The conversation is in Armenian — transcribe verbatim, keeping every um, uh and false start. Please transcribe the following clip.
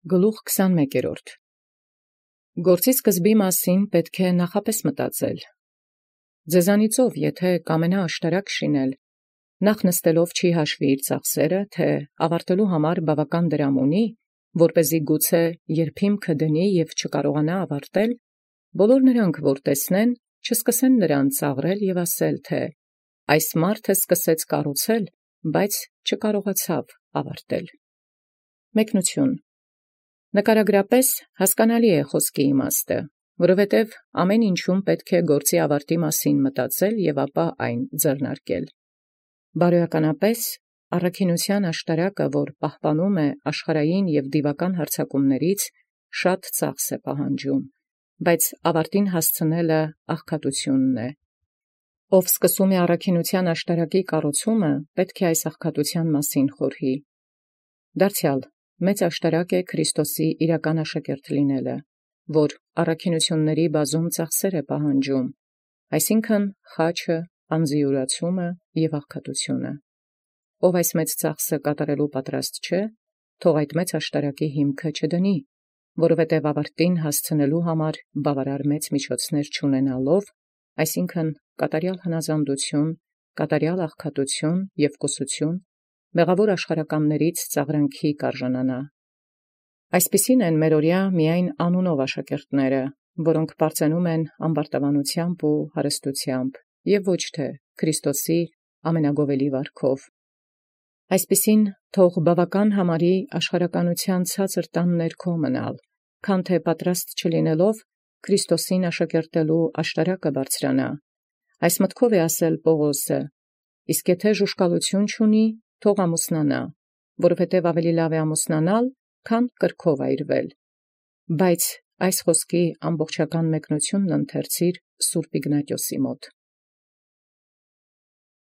Գլուխ քսանմեկ. Գործի սկզբի մասին պետք է նախապես մտածել։ Ձեզանիցով եթէ կամենա աշտարակ շինել, նախ նստելով չի հաշվի իր ծախսերը, թե ավարտելու համար բավական դրամ ունի, որպեսզի գուցե երբիմքը դնի և չկարողանա ավարտել, բոլոր նրանք, որ տեսնեն, չսկսեն նրան ծաղրել և ասել, թե այս մարդը սկսեց կառուցել, բայց չկարողացավ ավարտել։ Մեկնություն. Նկարագրապես հասկանալի է խոսքի իմաստը, որովհետև ամեն ինչում պետք է գործի ավարտի մասին մտածել և ապա այն ձեռնարկել։ Բարոյականապես առաքինութեան աշտարակը, որ պահպանում է աշխարհային և դիվական հարձակումներից, շատ ծախս է պահանջում, բայց ավարտին հասցնելը աղքատությունն է։ Ով սկսում է առաքինութեան աշտարակի կառուցումը, պետք է այս աղքատութեան մասին խորհի։ Դարձեալ մեծ աշտարակ է Քրիստոսի իրական աշակերտ լինելը, որ առաքինութիւնների բազում ծախսեր է պահանջում, այսինքն խաչը, անձիուրացումը և աղքատությունը։ Ով այս մեծ ծախսը կատարելու պատրաստ չէ, թող այդ մեծ աշտարակի հիմքը չդնի, որովհետև ավարտին հասցնելու համար բավարար մեծ միջոցներ չունենալով, այսինքն կատարյալ հնազանդություն, կատարյալ աղքատություն և կուսություն, մեղավոր աշխարհականներից ծաղրանքի կարժանանա։ Այսպիսին են մերօրյա միայն անունով աշակերտները, որոնք պարծենում են ամբարտավանութեամբ ու հարստութեամբ, և ոչ թե Քրիստոսի ամենագովելի վարքով։ Այսպիսին թող բավական համարի աշխարհականութեան ցածր տան ներքո մնալ, քան թե պատրաստ չլինելով Քրիստոսին աշակերտելու աշտարակը բարձրանա։ Այս մտքով է ասել Պողոսը. իսկ եթե ժուշկալութիւն չունի, թող ամուսնանա, որովհետև ավելի լավ է ամուսնանալ, քան կրքով այրվել։ Բայց այս խոսքի ամբողջական մեկնությունն ընթերցիր սուրբ Իգնատիոսի մոտ։